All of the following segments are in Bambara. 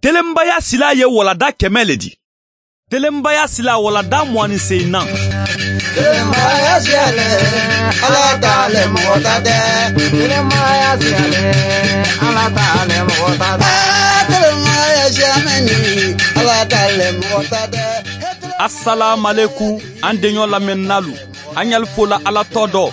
Telenbaya sila ye walada 100 le di. Telenbaya sila walada 28. Telenbaya siyale, Ala t'ale mɔgɔ ta tɛ. Telenbaya siyale, Ala t'ale mɔgɔ ta tɛ. Telenbaya siyamɛni, Ala t'ale mɔgɔ ta tɛ. Assalamu alaikum an deɲɔ lamɛnnalu. An y'al fola Ala tɔ dɔ.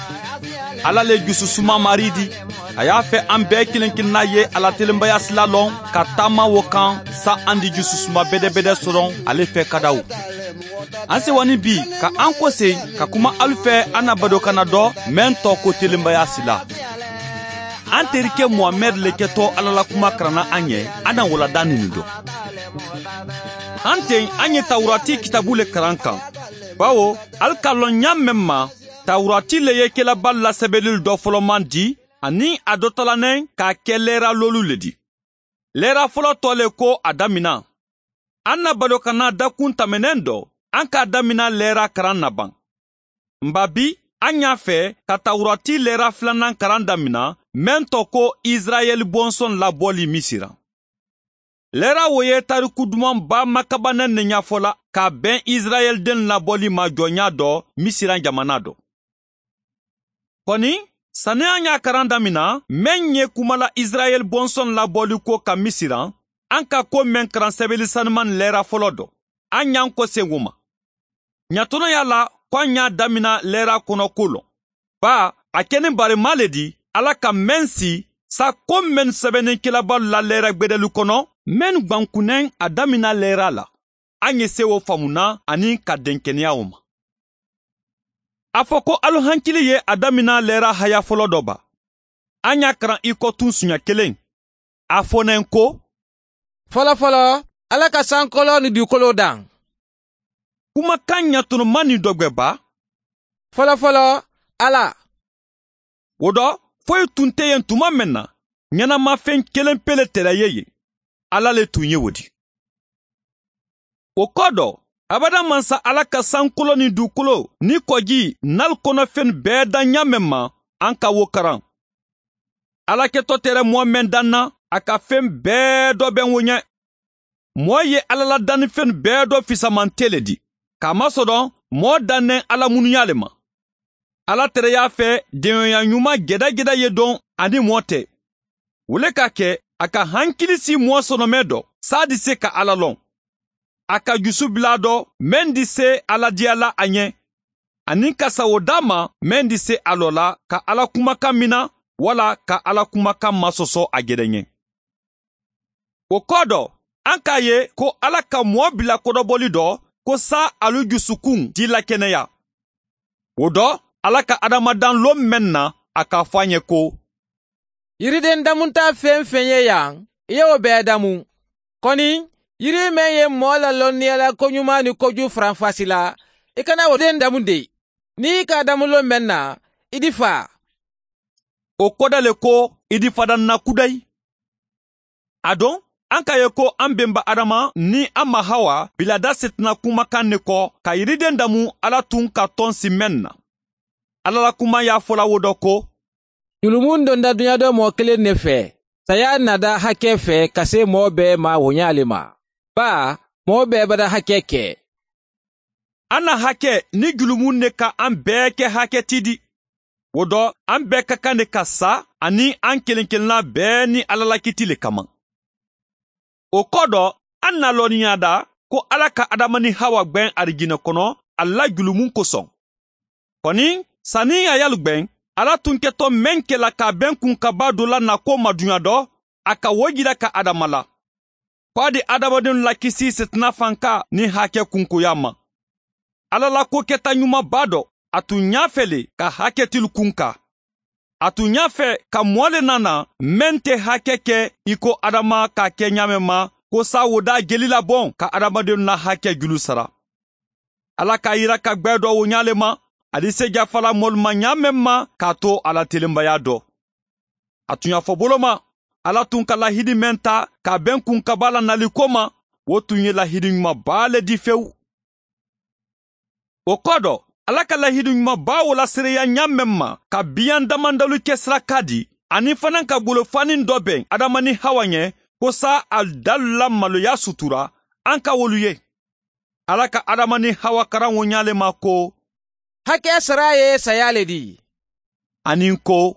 Ala le jususuma mari di. A y'a fɛ an bɛɛ kelen kelenna ye Ala telenbaya sila lɔn ka taama wo kan sa an di jususuma bɛdɛbɛdɛ sɔrɔ ale fɛ kadaw. An sewani bi ka an kɔse ka kuma alu fɛ an na badokana dɔ mɛn tɔ ko telenbaya sila. An terikɛ Muhamɛd le kɛtɔ Ala la kuma karanna an ɲɛ, an na walada nin dɔ. An ten an ye Tawurati kitabu le karan kan. Bawo al ka lɔn ɲa mɛn ma, Tawurati le ye kelaba lasɛbɛnni dɔ fɔlɔman di, ani a dɔ talanɛ k'a kɛ lɛra lolu le di. Lɛra fɔlɔ tɔ le ko a damina. An na badokana dakun tɛmɛnen dɔ, an k'a damina lɛra karan na ban. Nba bi, an y'a fɛ ka Tawurati lɛra filanan karan damina, mɛn tɔ ko Israɛl bɔnsɔn labɔli Misira. Lɛra wo ye tariku dumanba makabannen ne ɲɛfɔ la ka bɛn Israɛl den labɔli ma jɔnya dɔ Misira jamana dɔ. Kɔni, sani an y'a karan damina, mɛn ye kumala Israɛl bɔnsɔn labɔli ko ka Misira, an ka ko mɛn karan sɛbɛnni sanuman lɛra fɔlɔ dɔ. An y'an kɔsegin o ma. Ɲatɔnɔ y'a la ko an y'a damina lɛra kɔnɔ ko lɔ. Ba, a kɛni barima le di, Ala ka mɛn si, sa ko mɛn sɛbɛnnikɛlabaw la lɛra gbɛdɛlu kɔnɔ, mɛn gbankunnɛn a damina lɛra la. An ye se o faamuna ani ka denkɛnɛya o ma. A fɔ ko alu hankili ye a damina lɛra haya fɔlɔ dɔ ba. An y'a karan i kɔ tun siɲɛ kelen. A fɔnɛn ko, Fɔlɔ fɔlɔ, Ala ka sankolo ni dugukolo dan. Kumakan ɲatɔnɔma ni dɔgbɛba. Fɔlɔ fɔlɔ, Ala. O dɔ, foyi tun tɛ yen tuma min na, ɲɛnamafɛn kelen pele tɛrɛ ye yen. Ala le tun ye o di. O kɔ dɔ, abada mansa Ala ka sankolo ni dugukolo ni kɔji n'al kɔnɔfɛn bɛɛ dan ɲa mɛn ma, an ka wo karan. Ala kɛtɔ tɛrɛ mɔɔ mɛn dan na, a ka fɛn bɛɛ dɔ bɛn wo ɲɛ. Mɔɔ ye Ala la dannifɛn bɛɛ dɔ fisamante le di. K'a masɔrɔ mɔɔ dannen Ala munuya le ma. Ala tɛrɛ y'a fɛ denyɔnya ɲuman gɛdɛgɛdɛ ye dɔn ani mɔɔ tɛ. O le ka kɛ a ka hankili si mɔɔ sɔnɔmɛ dɔ, saa di se ka Ala lɔn. A ka jusu bila dɔ, mɛn di se Ala diya la a ɲɛ. Ani ka sago d'a ma, mɛn di se a lɔ la ka Ala kumakan mina, wala ka Ala kumakan masɔsɔ a gɛrɛ ɲɛ. O kɔ dɔ, an k'a ye ko Ala ka mɔɔ bila kɔdɔbɔli dɔ, ko sa alu jusukun di lakɛnɛya. O dɔ, Ala ka adamadan lon mɛn na, a k'a fɔ an ye ko, Yiriden damunta fɛn fɛn ye yan, i y'o bɛɛ damu. Kɔni, yiri mɛn ye mɔɔ la lɔnniya la koɲuman ni kojugu faranfasi la, i kana o den damu de. N'i ka damu lon mɛn na, i di fa. O kɔda le ko, i di fadan na kudayi. A dɔn, an k'a ye ko an benba Adama ni an ma Hawa bilada setina kumakan ne kɔ ka yiriden damu Ala tun ka tɔn si mɛn na. Ala la kuma y'a fɔla wo dɔ ko, Julumun donda dunya dɔ mɔɔ kelen ne fɛ, saya nada hakɛ fɛ ka se mɔɔ bɛɛ ma woɲa le ma. Ba, mɔɔ bɛɛ bada hakɛ kɛ. An na hakɛ ni julumun ne ka an bɛɛ kɛ hakɛ ti di. O dɔ, an bɛɛ ka kan de ka sa ani an kelen kelenna bɛɛ ni Ala la kiti le kama. O kɔ dɔ, an na lɔnniya da ko Ala ka Adama ni Hawa gbɛn arijinɛ kɔnɔ a la julumun kosɔn. Kɔni, sanni a y'alu gbɛn, Ala tun kɛtɔ mɛn kɛla k'a bɛn kun ka ba dɔ la na ko madunya dɔ, a ka wo jira ka Adama la. Ko a di adamadenw lakisi sitina fanka ni hakɛ kunkoya ma. Ala la ko kɛta ɲumanba dɔ, a tun y'a fɛ le ka hakɛtilu kun kan. A tun y'a fɛ ka mɔɔ le nana mɛn tɛ hakɛ kɛ i ko Adama k'a kɛ ɲa mɛn ma, ko sa wo da jeli labɔn ka adamadenw na hakɛ julu sara. Ala k'a yira ka gbɛ dɔ wo ɲa le ma, a di se jafala mɔlu ma ɲa mɛn ma k'a to Ala telenbaya dɔ. A tun y'a fɔ bolo ma, Ala tun ka lahidi mɛn ta k'a bɛn kun kaba la nali ko ma, o tun ye lahidi ɲumanba le di fewu. O kɔ dɔ, Ala ka lahidi ɲumanba o la seereya ɲa mɛn ma ka biyan damandalu kɛ sira ka di, ani fana ka bolofani dɔ bɛn Adama ni Hawa ɲɛ, ko sa alu dalu la maloya sutura, an ka wolu ye. Ala ka Adama ni Hawa karan wo ɲa le ma ko hakɛ sara ye saya le di. Ani ko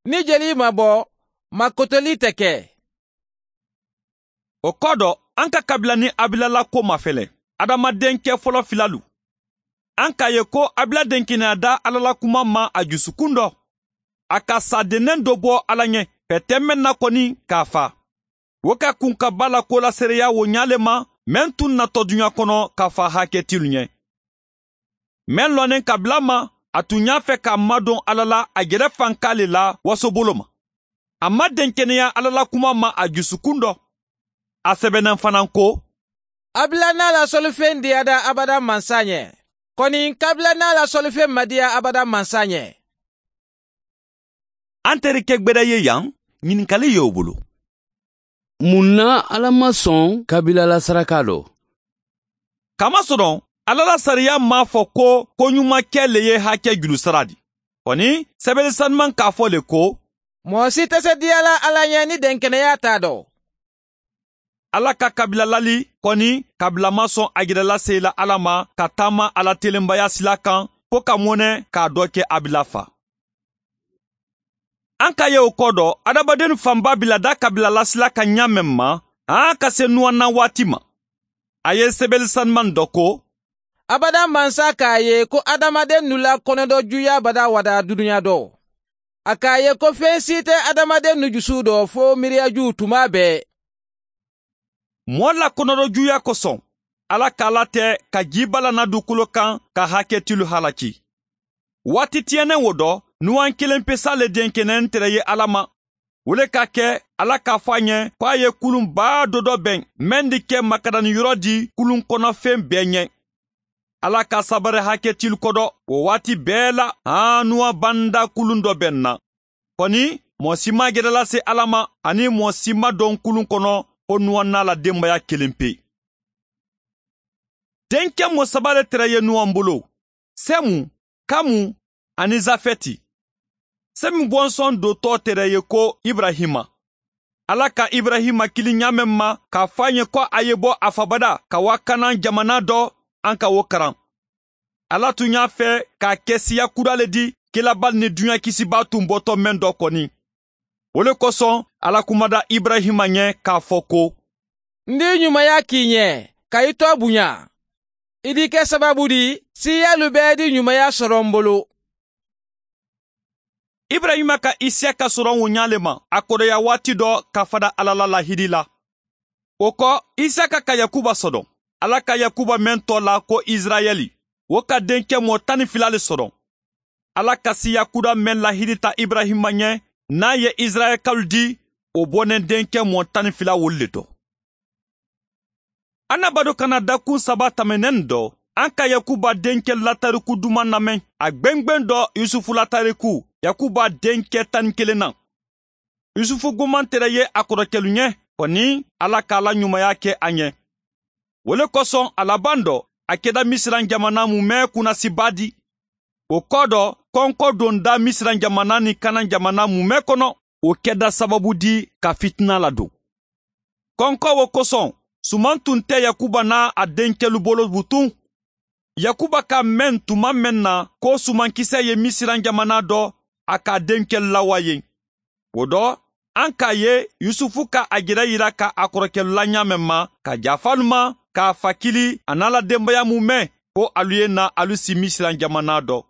ni jeli ma bɔ, makotoli tɛ kɛ. O kɔ dɔ, an ka kabila ni Abila la ko mafɛlɛ. Adama denkɛ fɔlɔ filalu. An k'a ye ko Abila denkɛnɛya da Ala la kuma ma a jusukun dɔ. A ka sadennen dɔ bɔ Ala ɲɛ, fɛtɛ mɛn na kɔni k'a fa. O ka kun ka ba la ko la seereya wo ɲale ma, mɛn tun natɔ duɲa kɔnɔ k'a fa hakɛtilu ɲɛ. Mɛn lɔnnen kabila ma, a tun y'a fɛ k'a madon Ala la a yɛrɛ fanka le la wasobolo ma. A ma denkɛnɛya Ala la kuma ma a jusukun dɔ. A sɛbɛnnen fana ko Abila n'a la sɔlifɛn diyada abada mansa ɲɛ. Kɔni kabila n'a la sɔlifɛn ma diya abada mansa ɲɛ. An terikɛ gbɛdɛ ye yan, ɲininkali y'o bolo. Mun na Ala ma sɔn kabila la saraka dɔ? Kamasɔrɔ Ala la sariya m'a fɔ ko koɲuman kɛ le ye hakɛ juru sara di. Kɔni sɛbɛnni sanuman k'a fɔ le ko mɔgɔ si tɛ se diyala Ala ɲɛ ni denkɛnɛya t'a dɔn. Ala ka kabila lali kɔni kabila ma sɔn a yɛrɛ lase la Ala ma ka taama Ala telenbaya sila kan fo ka mɔnɛ k'a dɔ kɛ Abila fa. An ka ye o kɔ dɔ, adamaden fanba bila da kabila lasila ka ɲa mɛn ma, an ka se nuwan waati ma. A ye sɛbɛnni sanuman dɔ ko abada mansa k'a ye ko adamaden nu la kɔnɔdɔ juya bada wada dunuya dɔ. A k'a ye ko fɛn si tɛ adamaden nu jusu dɔ fo miiriyaju tuma bɛɛ. Mɔɔ la kɔnɔdɔ juya kosɔn, Ala k'a latɛ ka jiba lana dugukolo kan ka hakɛtilu halaki. Waati tiɲɛnen wo dɔ, nuwan kelen pesa le denkɛnɛn tɛrɛ ye Ala ma. O le ka kɛ Ala k'a fɔ a ɲɛ ko a ye kulunba dɔ dɔ bɛn mɛn di kɛ makadani yɔrɔ di kulun kɔnɔfɛn bɛɛ ɲɛ. Ala ka sabari hakɛtilu kɔdɔ o waati bɛɛ la, an nuwan banda kulun dɔ bɛn na. Kɔni mɔɔ si ma gɛrɛ lase Ala ma ani mɔɔ si ma don kulun kɔnɔ ko nuwan n'a la denbaya kelen pe. Denkɛ mɔ saba le tɛrɛ ye nuwan bolo, Sɛmu, Kamu ani Zafɛti. Sɛmu bɔnsɔn dotɔ tɛrɛ ye ko Ibrahima. Ala ka Ibrahima kili ɲa mɛn ma k'a fɔ a ɲɛ ko a ye bɔ a fabada ka wa Kanan jamana dɔ an ka o karan. Ala tun y'a fɛ k'a kɛ siya kura le di kelabal ni duɲa kisiba tun bɔtɔ mɛn dɔ kɔni. O le kosɔn Ala kumada Ibrahima ɲɛ k'a fɔ ko n di ɲumanya k'i ɲɛ ka i tɔ bonya. I di kɛ sababu di siyalu bɛɛ di ɲumanya sɔrɔ n bolo. Ibrahima ka Isiyaka sɔrɔ o ɲa le ma a kɔrɔya waati dɔ ka fada Ala la lahidi la. O kɔ Isiyaka ka Yakuba sɔrɔ. Ala ka Yakuba mɛn tɔ la ko Israɛli. O ka denkɛ mɔ 12 le sɔrɔ. Ala ka siya kura mɛn lahidi ta Ibrahima ɲɛ n'a ye Israɛlkalu di o bɔnɛ denkɛ mɔ 12 wolu le dɔ. An na bado kana dakun saba tɛmɛnen dɔ, an ka Yakuba denkɛ latariku duman lamɛn. A gbɛngbɛn dɔ Yusufu latariku, Yakuba denkɛ 11 na. Yusufu goman tɛrɛ ye a kɔrɔkɛlu ɲɛ, kɔni Ala k'a la ɲumanya kɛ a ɲɛ. O le kosɔn a laban dɔ, a kɛda Misiran jamana mumɛ kunnasiba di. O kɔ dɔ, kɔnkɔ donda Misiran jamana ni Kanan jamana mumɛ kɔnɔ, o kɛda sababu di ka fitina ladon. Kɔnkɔ wo kosɔn, suman tun tɛ Yakuba n'a a denkɛlu bolo butun. Yakuba ka mɛn tuma mɛn na ko sumankisɛ ye Misiran jamana dɔ, a ka denkɛlu lawa yen. O dɔ, an k'a ye Yusufu ka a yɛrɛ yira ka a kɔrɔkɛlu la ɲa mɛn ma, ka jafalu ma, k'a fakili a n'a la denbaya mumɛ ko alu ye na alu si Misiran jamana dɔ.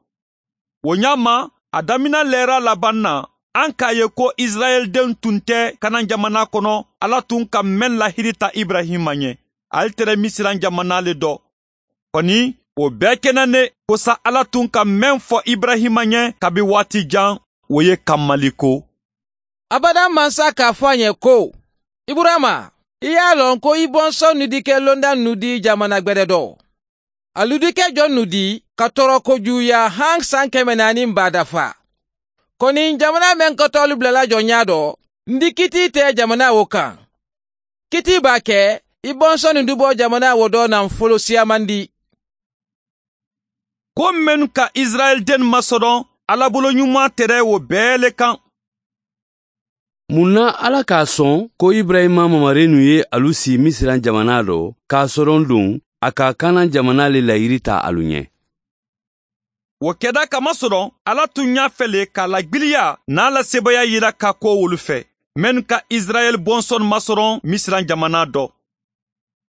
O ɲa ma, a damina lɛra laban na, an k'a ye ko Israɛldenw tun tɛ Kanan jamana kɔnɔ, Ala tun ka mɛn lahidi ta Ibrahima ɲɛ. Ale tɛrɛ Misiran jamana le dɔ. Kɔni, o bɛɛ kɛnɛ ne ko sa Ala tun ka mɛn fɔ Ibrahima ɲɛ kabi waati jan, o ye kamali ko. Abada mansa k'a fɔ a ɲɛ ko Iburama, i y'a lɔn ko i bɔnsɔn nu di kɛ londa nu di jamana gbɛdɛ dɔ. Alu di kɛ jɔn nu di ka tɔɔrɔ kojuguya han san 400 ba dafa. Kɔni jamana mɛn kɔtɔlu bilala jɔnya dɔ, n di kiti tɛ jamana wo kan. Kiti b'a kɛ i bɔnsɔn nu di bɔ jamana wo dɔ nafolo siyaman di. Ko minnu ka Israɛl den masɔrɔ, Ala bolo ɲuman tɛrɛ o bɛɛ le kan. Mun na Ala k'a sɔn ko Ibrahima mamarenu ye alu si Misiran jamana dɔ k'a sɔrɔ don a ka Kanan jamana le layiri ta alu ɲɛ? O kɛda kamasɔrɔ Ala tun y'a fɛ le k'a lagbiliya n'a la sebaya yira ka ko wolu fɛ minnu ka Israɛl bɔnsɔn masɔrɔ Misiran jamana dɔ.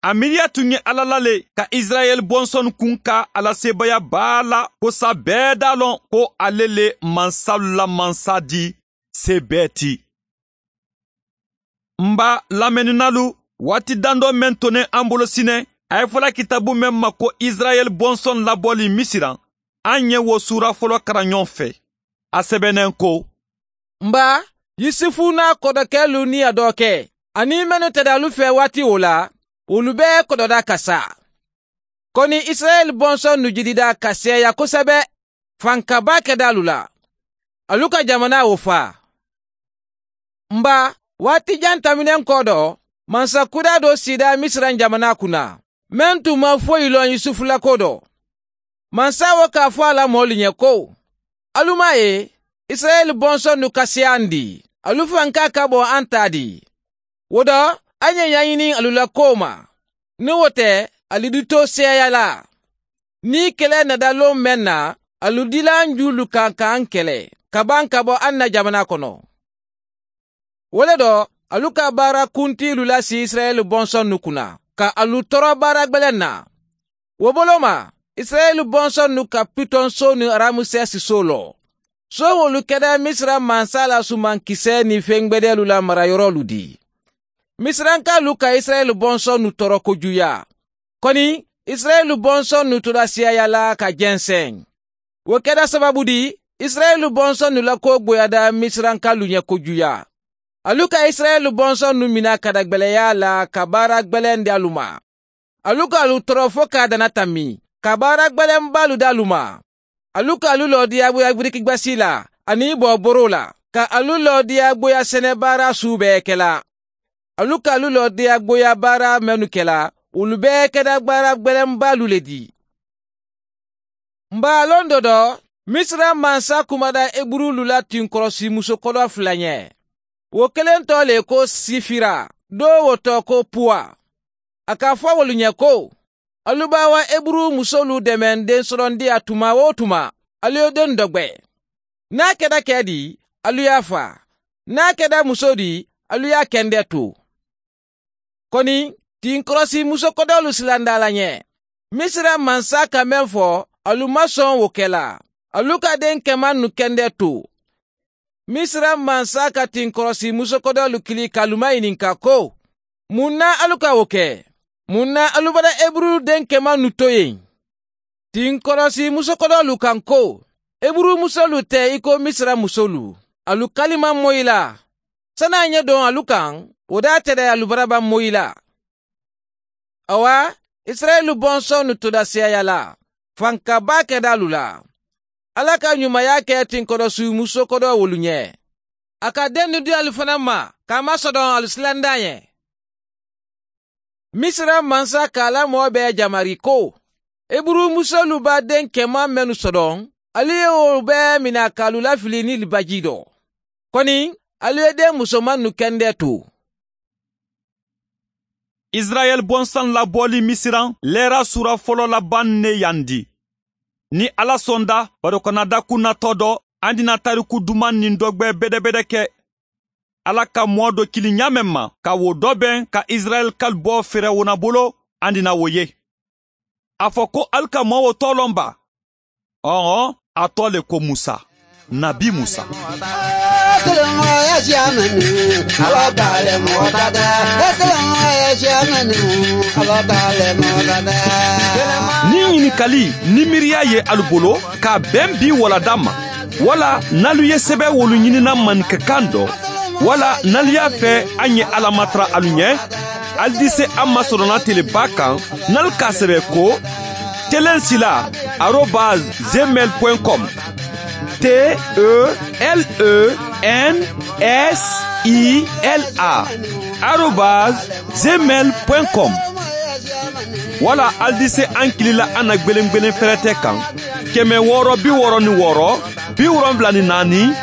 A miiriya tun ye Ala la le ka Israɛl bɔnsɔn kun ka ala sebaya b'a la ko sa bɛɛ d'a lɔn ko ale le mansalu la mansa di se bɛɛ ti. N b'a lamɛnninalu waati dandɔ mɛn tonen an bolo sinɛ a ye fɔla kitabu mɛn ma ko Israɛl bɔnsɔn labɔli Misiran. An ye wo sura fɔlɔ karan ɲɔgɔn fɛ. A sɛbɛnnen ko: Nba, Yusufu n'a kɔdɔkɛlu ni a dɔkɛ ani minnu tɛda alu fɛ waati o la, olu bɛɛ kɔdɔda ka sa. Kɔni Israɛl bɔnsɔn nu jidida ka sɛya kosɛbɛ, fankaba kɛda alu la. Alu ka jamana o fa. Nba, waati jan taminen kɔ dɔ, mansakuda dɔ sida Misiran jamana kunna, mɛn tun ma foyi lɔn Yusufu la ko dɔ. Mansa wo k'a fɔ a la mɔɔlu ɲɛ ko: Alu m'a ye, Israɛl bɔnsɔn nu ka se an di, alu fanka ka bɔ an ta di. O dɔ, an ye ɲaɲini alu la ko ma. Ni o tɛ, alu di to sɛya la. Ni kɛlɛ nada lon mɛn na, alu dila an julu kan k'an kɛlɛ, ka ban ka bɔ an na jamana kɔnɔ. O le dɔ, alu ka baara kuntilu lasi Israɛl bɔnsɔn nu kunna, ka alu tɔɔrɔ baara gwɛlɛn na. O bolo ma, Israɛl bɔnsɔn nu ka Pitɔn so ni Ramusɛsi so lɔ. So wolu kɛra Misira mansa la sumankisɛ ni fɛn gwɛdɛlu la marayɔrɔlu di. Misirankalu ka Israɛl bɔnsɔn nu tɔɔrɔ kojuya. Kɔni, Israɛl bɔnsɔn nu tora siyaya la ka jɛnsɛn. O kɛra sababu di, Israɛl bɔnsɔn nu la ko gboyada Misirankalu ɲɛ kojuya. Alu ka Israɛl bɔnsɔn nu mina ka da gwɛlɛya la ka baara gwɛlɛn di alu ma. Alu ka alu tɔɔrɔ fo k'a dana tami, ka baara gwɛlɛnbalu di alu ma. Alu ka alu lɔ diyagoya birikigbasi la ani bɔ boro la, ka alu lɔ diyagoya sɛnɛbaara su bɛɛ kɛla. Alu ka alu lɔ diyagoya baara mɛnu kɛla, olu bɛɛ kɛra baara gwɛlɛnbalu le di. Nba lon dɔ dɔ, Misira mansa kumada Eburulu la tinkɔrɔsi musokɔrɔ fila ɲɛ. O kelen tɔ le ko Sifira, do o tɔ ko Puwa. A k'a fɔ wolu ɲɛ ko: Alu b'a wa Eburu musolu dɛmɛ den sɔrɔndiya tuma o tuma, alu ye den dɔ gwɛ. N'a kɛra kɛ di, alu y'a fa. N'a kɛra muso di, alu y'a kɛndɛ to. Kɔni, tinkɔrɔsi musokɔdɔlu silanda la ɲɛ. Misira mansa ka mɛn fɔ, alu ma sɔn o kɛla. Alu ka den kɛman nu kɛndɛ to. Misira mansa ka tinkɔrɔsi musokɔdɔlu kili k'alu maɲininka ko: Mun na alu ka o kɛ? Mun na alu bara Eburu den kɛman nu to yen? Tinkɔrɔsi musokɔdɔlu kan ko: Eburu musolu tɛ i ko Misira musolu. Alu kalima moyi la. San'a ɲɛ don alu kan, o da tɛ dɛ alu baraba moyi la. Awa, Israɛlu bɔnsɔn nu toda siyaya la. Fankaba kɛda alu la. Ala ka ɲumaya kɛ tinkɔrɔsi musokɔdɔ wolu ɲɛ. A ka den nu di alu fana ma, k'a masɔdɔn alu silanda ɲɛ. Misira mansa k'a la mɔɔ bɛɛ jamari ko: Eburu musolu b'a den kɛman mɛnu sɔdɔn, alu ye o bɛɛ mina k'alu lafili ni libaji dɔ. Kɔni, alu ye den musoman nu kɛndɛ to. Israɛl bɔnsɔn labɔli Misiran lɛra sura fɔlɔ laban ne yan di. Ni Ala sɔnda barokɔnɔda kunnatɔ dɔ, an dina tariku duman nin dɔgbɛ bɛdɛbɛdɛ kɛ. Ala ka mɔɔ dɔ kili ɲa ma ka wo dɔ bɛn ka Israɛl kal bɔ Fɛrɛwona bolo, an dina wo ye. A fɔ ko ali ka mɔɔ wo tɔlɔn ba. Ɔhɔn, a tɔ le ko Musa, Nabi Musa. Ni ɲininkali ni miiriya ye alu bolo k'a bɛn bi walada ma, wala n'alu ye sɛbɛ wolu ɲinina maninkakan dɔ, wala n'alu y'a fɛ an ye Ala matara alu ɲɛ, alu di se an masɔrɔna teleba kan n'alu k'a sɛbɛ ko telensila @gmail.com telensila @gmail.com wala alu di se an kilila an na gwelen fɛrɛtɛ kan 666 74 29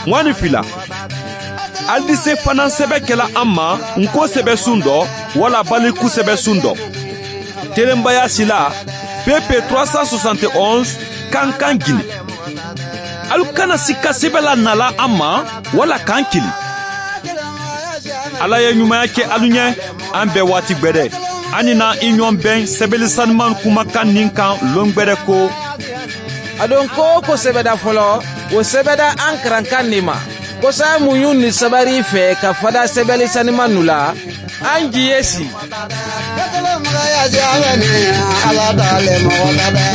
22. Alu di se fana sɛbɛ kɛla an ma nko sɛbɛsun dɔ wala baliku sɛbɛsun dɔ. Telenbaya sila PP 371 Kankan Gine. Alu kana sika sɛbɛ la nala an ma wala k'an kili. Ala ye ɲumanya kɛ alu ɲɛ, an bɛɛ waati gbɛdɛ. An ni na i ɲɔgɔn bɛn sɛbɛli sanuman kumakan nin kan lon gbɛdɛ ko. A don ko ko sɛbɛda fɔlɔ, o sɛbɛda an karankan nin ma. Ko sa muɲu ni sabari fɛ ka fada sɛbɛli sanuman nu la, an ji ye si. Ala t'ale mɔgɔ ta dɛ.